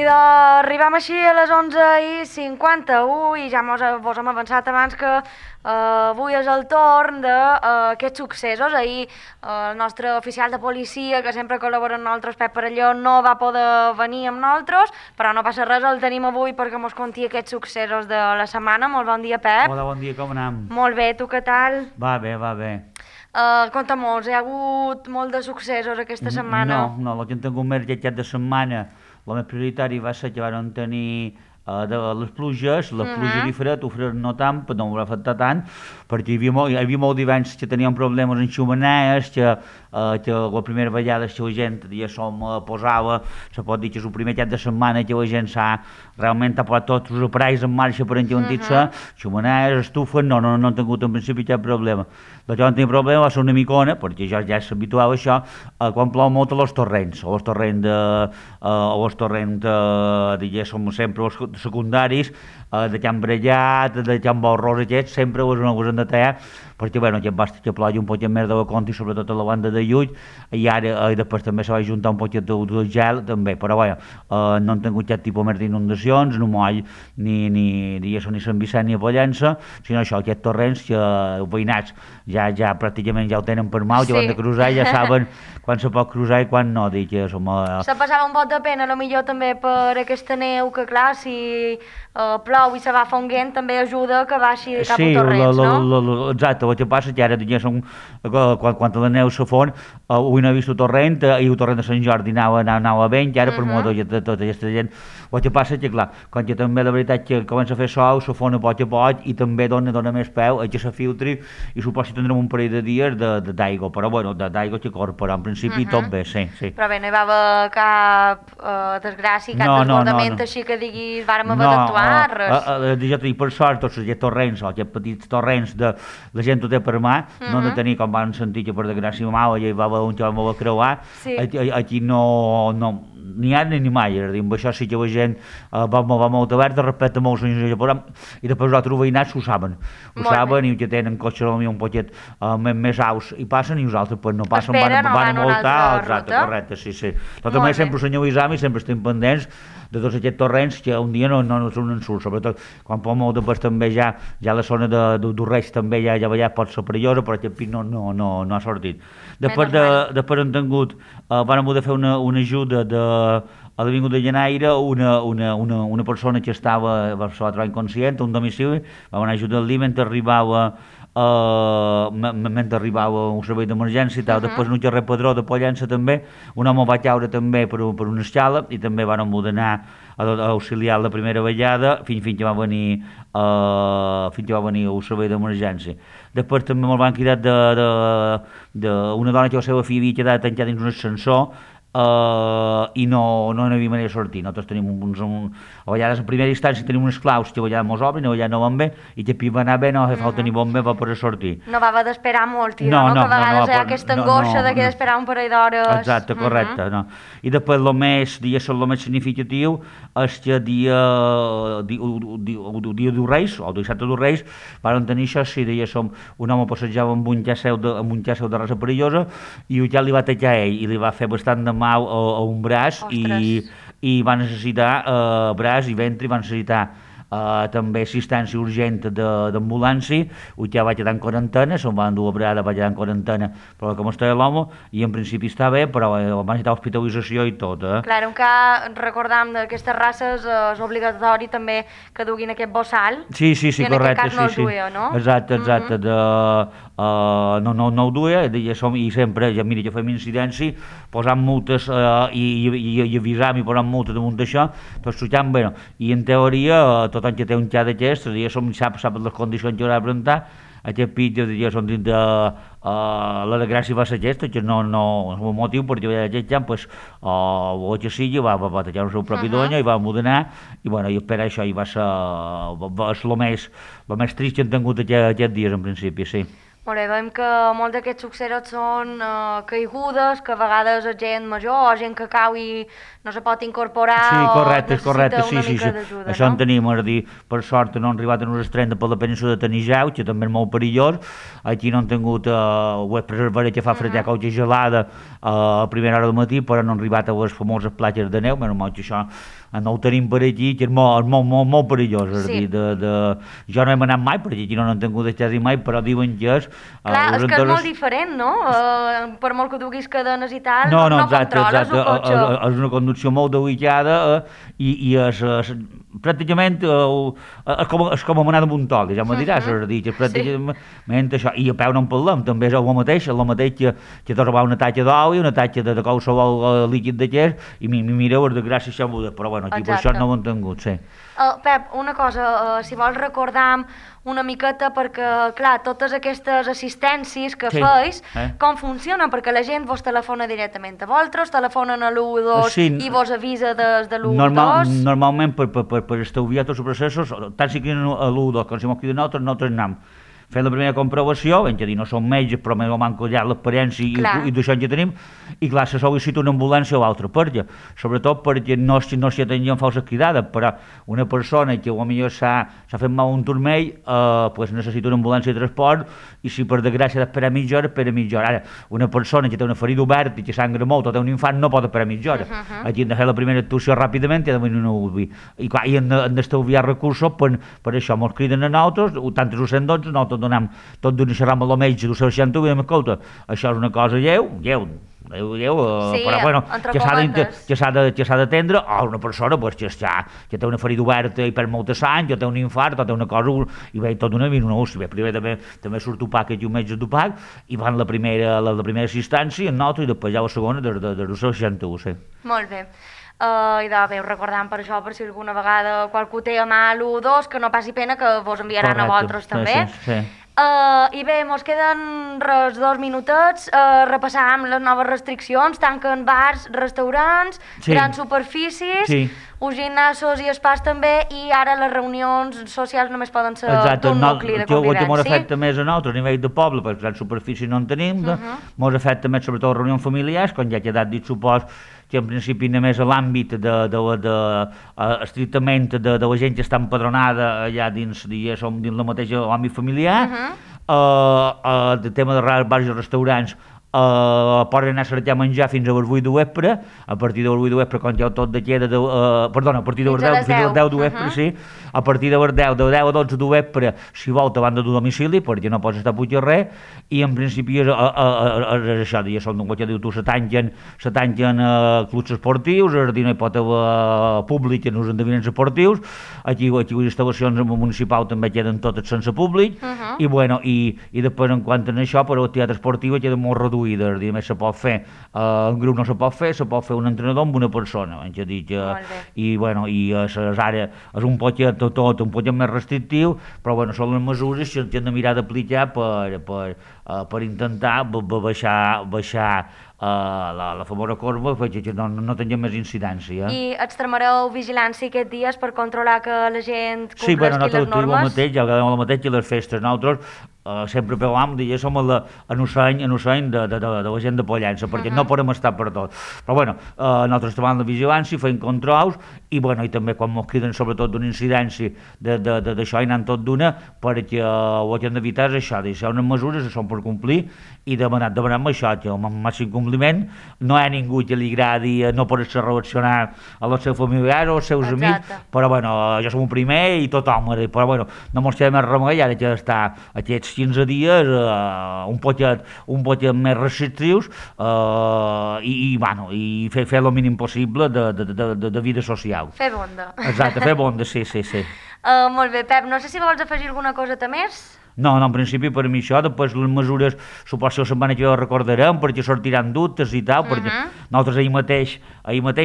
I arribam així a les 11:51 i ja vos hem avançat abans que avui és el torn d'aquests successos. Ahir el nostre oficial de policia, que sempre col·labora amb nosaltres, Pep Parelló, no va poder venir amb nosaltres, però no passa res, el tenim avui perquè mos conti aquests successos de la setmana. Molt bon dia, Pep. Hola, bon dia, com anem? Molt bé, tu què tal? Va bé, va bé. Conta-mos, hi ha hagut molt de successos aquesta setmana? No, el que hem tingut més lletjat de setmana, el més prioritari va ser que van tenir de les pluges, la pluja i el fred no tant, però no m'ho va afectar tant, perquè hi havia molt d'hiverns que tenien problemes en xumanees, que la primera vegada que la gent ja posava, se pot dir que és el primer cap de setmana que la gent realment ha posat tots els aparells en marxa per enllentir-se, xumanees, estufes, no han tingut en principi cap problema. El que van tenir problema va ser una micona, perquè jo ja s'habituava a això, quan plou molt a els torrents, diguéssim, sempre els secundaris, de Can Brellat, de Can Borrós, aquests, sempre us han de tallar, perquè aquest basta que plogui un poquet més de la compte, i sobretot a la banda de Llull, i ara després també se va juntar un poquet de gel, també, però no han tingut cap tipus més d'inundacions, no moll ni Sant Vicent ni a Pollença, sinó això, aquests torrents que els veïnats ja pràcticament ja ho tenen per mal, ja van de cruzar, ja saben quan se pot cruzar i quan no, dic que som... Se passava un pot de pena, potser també per aquesta neu, que clar, si plou i se va fonguent, també ajuda que baixi cap a torrents, no? Exacte, el que passa és que ara, diguéssim, quan la neu se fon, avui no he vist el torrent, i el torrent de Sant Jordi anava bé, i ara per molt de tota aquesta gent. El que passa és que, clar, quan que també la veritat que comença a fer sol, se fon a poc i també dona més peu a que se filtri, i suposo que tindrem un parell de dies d'aigua, però d'aigua que corre, però en principi tot bé, sí. Però bé, no hi va haver cap desgràcia, cap desbordament, així que diguis, vàrem haver d'actuar, res. Per sort, tots aquests torrents, aquests petits torrents de la gent ho té per mà, no han de tenir, com van sentir que per desgràcia mala ja hi va haver un que vam haver creuar, aquí no ni ara ni mai, amb això sí que la gent va molt oberta respecte a molts anys i després els altres veïnats ho saben i que tenen cotxes un poquet més aus i passen i nosaltres no passen, van a multar, correcte, sí. Però també sempre us senyalitzam i sempre estem pendents de tots aquests torrents que un dia no són un ensurt, sobretot quan pot molt després també ja la zona d'Urreig també ja pot ser perillosa, però aquest pic no ha sortit. Després han tingut, van poder fer una ajuda a l'Avinguda de Llenaire, una persona que se va trobar inconscient a un domicili, va anar a ajudar-li mentre arribava un servei d'emergència i tal. Després en un carrer Padró de Pollença també, un home va caure també per una escala i també van poder anar a auxiliar la primera vegada fins que va venir el servei d'emergència. Després també me'l van cridar d'una dona que la seva filla havia quedat tancada dins un ascensor i no n'hi havia manera de sortir. Nosaltres tenim a vegades en primera instància tenim uns claus que a vegades mos obren, a vegades no van bé, i que va anar bé, no fa falta ni bon bé per poder sortir. No va haver d'esperar molt, que a vegades hi ha aquesta angoixa de que d'esperar un parell d'hores. Exacte, correcte. I després el més significatiu és que el dia dels Reis, o el dissabte dels Reis, van tenir això, sí, un home passejava amb un llaceu de raça perillosa i un li va tallar ell i li va fer bastant de mal a un braç i va necessitar braç i ventre, i va necessitar també assistència urgent d'ambulància, ja va quedar en quarantena, se'n va endur a Brada, va quedar en quarantena, però com estava l'home, i en principi està bé, però va necessitar hospitalització i tot. Clar, encara recordam d'aquestes races és obligatori també que duguin aquest bossal. Sí, correcte. I en aquest cas no el duia, no? Exacte, no ho duia, i sempre, ja mira, que fem incidència, posant multes i avisam i posant multes damunt d'això, tot xutant, bé, i en teoria, tot any que té un xat d'aquest, sap les condicions que haurà de presentar, aquest pit, són dins de la desgràcia va ser aquesta, que no és un motiu, perquè aquest xat, el que sigui, va tallar el seu propi donya i va modernar, i per això va ser el més trist que han tingut aquests dies, en principi, sí. Molt bé, veiem que molts d'aquests successos són caigudes, que a vegades és gent major o gent que cau i no se pot incorporar correcte, o necessita una sí. mica d'ajuda, Això no? en tenim, és a dir, per sort no han arribat a uns estrens per la península de Tanijau, que també és molt perillós. Aquí no han tingut, ho és preservar que fa frejar causa gelada a primera hora del matí, però no han arribat a les famoses platges de neu, menys mal que això no ho tenim per aquí, que és molt perillós, és a dir, jo no hem anat mai, perquè aquí no n'han tingut quasi mai, però diuen que és... Clar, és que és molt diferent, no? Per molt que duguis cadenes i tal, no exacte, controles un cotxe. És una conducció molt delicada i és pràcticament és com anar damunt tol, ja m'ho diràs, és a dir, que pràcticament això, i a peu no en parlem, també és el mateix que trobar una tatxa d'oli, una tatxa de qualsevol líquid d'aquest, i mireu, és de gràcia això, però bueno, aquí per això no ho han tingut, sí. Pep, una cosa, si vols recordar una miqueta, perquè, clar, totes aquestes assistències que feis, com funcionen? Perquè la gent vos telefona directament a vosaltres, telefonen a l'112 i vos avisa des de l'112? Normalment, per estalviar tots els processos, tant si criden a l'112 com si mos criden nosaltres anem fent la primera comprovació, ben que dir, no som metges, però més o menys ja l'experiència i d'això ja tenim, i clar, se sol·licita una ambulància o altra perquè, sobretot perquè no s'hi atenien falses cridades, però una persona que potser s'ha fet mal un turmell, necessita una ambulància de transport, i si per desgràcia d'esperar mitja hora, espera mitja hora. Ara, una persona que té una ferida oberta i que sangra molt o té un infant no pot esperar mitja hora. Aquí hem de fer la primera actuació ràpidament i ha de venir una UBI. I clar, hem d'estalviar recursos per això, mos criden a nosaltres, tant el 112, nosaltres donem tot d'una xerrada amb el metge del 61 i diem, escolta, això és una cosa lleu, però bueno, que s'ha d'atendre a una persona que té una ferida oberta i perd molta sang, que té un infart, o té una cosa, i ve tot una minuts, primer també surt opac i un metge d'opac, i van la primera assistència en nosaltres i després ja la segona del 61, sí. Molt bé. I de bé, recordant per això, per si alguna vegada qualcú té a mà l'112, que no passi pena, que vos enviaran a vosaltres també. Sí. I bé, mos queden res 2 minutets, repassàvem les noves restriccions, tanquen bars, restaurants, grans superfícies, uns gimnasos i espais també, i ara les reunions socials només poden ser d'un nucli de convivència. El que m'ho afecta més a nosaltres, a nivell de poble, perquè grans superfícies no en tenim, m'ho afecta més sobretot reunions familiars, com ja ha quedat dit, supos que en principi només a l'àmbit estrictament de la gent que està empadronada allà dins la mateixa àmbit familiar, el tema de bars i restaurants, poden anar a cercar menjar fins a les 8 de vespre, a partir de les 8 de vespre, quan ja tot de queda, perdona, a partir de les 10, fins a les 10 de vespre, sí, a partir de les 10, de 10 a 12 de vespre, si vol, te van de domicili, perquè no pots estar a pujar res, i en principi és això, ja són, com ja diu tu, se tanquen clubs esportius, és a dir, no hi pot haver públic en els endevinaments esportius, aquí les instal·lacions municipals també queden totes sense públic, i bueno, i després en quant a això, però el teatre esportiu queda molt reduït, és a dir, només se pot fer, en grup no se pot fer un entrenador amb una persona, i bueno, i ara és un poquet més restrictiu, però bueno, són les mesures que hem de mirar d'aplicar per intentar baixar la famosa corba perquè no tinguem més incidència. I extremareu vigilància aquests dies per controlar que la gent compleixi les normes? Sí, bueno, nosaltres el mateix que les festes. Nosaltres sempre parlàvem, som en un de la gent de Pollença, perquè no podem estar per tot. Però bueno, nosaltres treballem la vigilància, fem controls, i bueno, i també quan ens criden sobretot d'una incidència d'això i anant tot d'una, perquè el que hem d'evitar és això, deixar unes mesures que són per complir, i demanem això, que el màxim compliment, no hi ha ningú que li agradi no poder-se relacionar amb els seus familiars o els seus amics, però bueno, jo som un primer i tothom, però bueno, no mos queda més remei, ara que està aquests 15 dies un poquet més restrictius, i fer el mínim possible de vida social. Fer bonda. Exacte, fer bonda, sí. Molt bé, Pep, no sé si vols afegir alguna coseta més? No, en principi per mi això, després les mesures, suposo que la setmana que recordarem, perquè sortiran dubtes i tal, perquè nosaltres ahir mateix,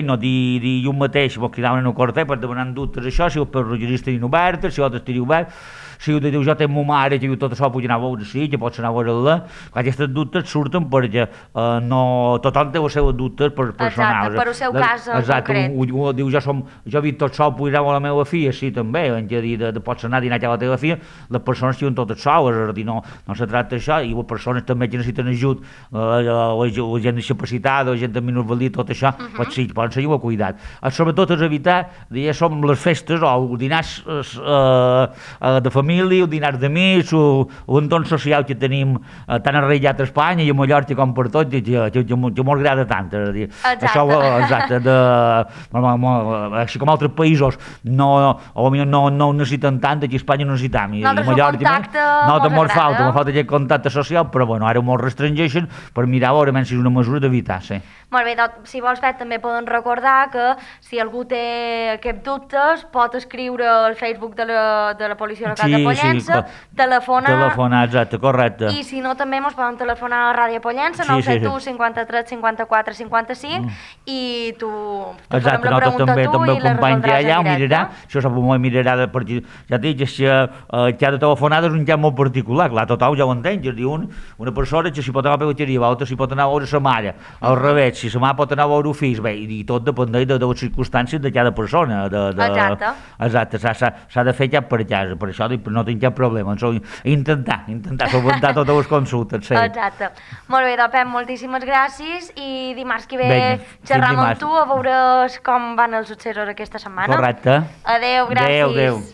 no, dilluns mateix, vos cridaven en el corte per demanar dubtes això, si els perrugeries tenien obertes, si altres tenien obertes, si ho diu jo tenc ma mare que diu tot això puc anar a veure sí, que pots anar a veure-la, aquestes dubtes surten perquè tothom té els seus dubtes personals. Exacte, per el seu cas concret. Diu jo he vist tot sol, puc anar a la meva filla, sí també, pots anar a dinar a la teva filla, les persones diuen tot tot sol, és a dir, no se tracta d'això, i les persones també que necessiten ajut, la gent discapacitada, la gent amb minusvalia, tot això, doncs sí, poden seguir el cuidat. Sobretot és evitar, ja som les festes, o els dinars de família, els dinars d'amics, l'entorn social que tenim tan arraigat a Espanya i a Mallorca com per tot, que m'ho agrada tant, és a dir, això, exacte, així com altres països no ho necessiten tant, aquí a Espanya no necessitem, i a Mallorca no falta aquest contacte social, però bueno, ara molt restringeixen per mirar a veure si és una mesura d'evitar, sí. Molt bé, doncs, si vols, Pep, també poden recordar que si algú té aquests dubtes pot escriure al Facebook de la Policia Local de Pollença, telefonar, exacte, correcte. I si no, també ens poden telefonar a la Ràdio Pollença, 971 53 54 55, i tu te farem la pregunta també, tu i la resoldràs en directe. Això m'ho mirarà de partir. Ja t'he dit que ha de telefonar és un cas molt particular, clar, tothom ja ho entén, és a dir, una persona que s'hi pot anar a la peluqueria, l'altra s'hi pot anar a veure sa mare, al revés, si sa mare pot anar a veure el fill, bé, i tot dependeix de les circumstàncies de cada persona. Exacte, s'ha de fer cap per casa, per això no tinc cap problema, intentar solventar totes les consultes. Sí. Exacte. Molt bé, doncs, Pep, moltíssimes gràcies, i dimarts que ve xerram amb tu a veure com van els successos aquesta setmana. Correcte. Adéu, gràcies. Adéu.